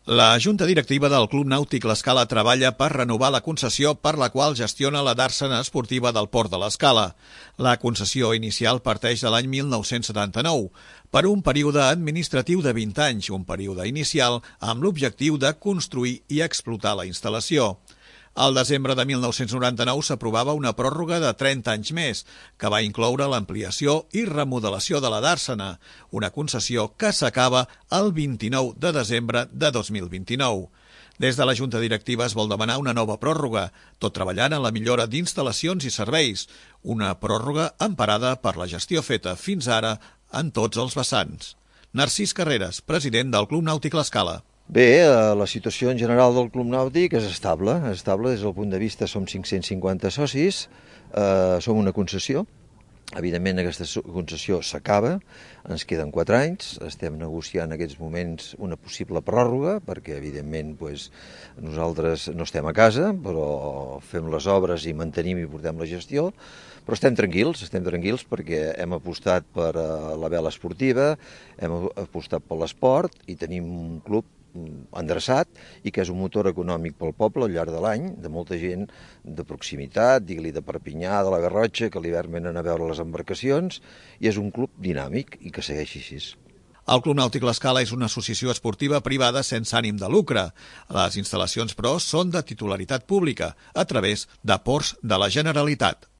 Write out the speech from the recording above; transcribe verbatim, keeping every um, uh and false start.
La Junta Directiva del Club Nàutic L'Escala treballa per renovar la concessió per la qual gestiona la dàrsena esportiva del Port de l'Escala. La concessió inicial parteix de l'any mil nou-cents setanta-nou per un període administratiu de vint anys, un període inicial amb l'objectiu de construir i explotar la instal·lació. Al desembre de mil nou-cents noranta-nou s'aprovava una pròrroga de trenta anys més, que va incloure l'ampliació i remodelació de la dàrsena, una concessió que s'acaba el vint-i-nou de desembre de dos mil vint-i-nou. Des de la Junta Directiva es vol demanar una nova pròrroga, tot treballant en la millora d'instal·lacions i serveis, una pròrroga emparada per la gestió feta fins ara en tots els vessants. Narcís Carreras, president del Club Nàutic L'Escala. Bé, la situació en general del Club Nàutic és estable, és estable des del punt de vista, som cinc-cents cinquanta socis, eh, som una concessió, evidentment aquesta concessió s'acaba, ens queden quatre anys, estem negociant en aquests moments una possible pròrroga, perquè evidentment pues, nosaltres no estem a casa, però fem les obres i mantenim i portem la gestió, però estem tranquils, estem tranquils perquè hem apostat per la vela esportiva, hem apostat per l'esport i tenim un club endreçat i que és un motor econòmic pel poble al llarg de l'any, de molta gent de proximitat, digue-li de Perpinyà, de la Garrotxa, que a l'hivern venen a veure les embarcacions, i és un club dinàmic i que segueixi així. El Club Nàutic L'Escala és una associació esportiva privada sense ànim de lucre. Les instal·lacions, però, són de titularitat pública, a través de ports de la Generalitat.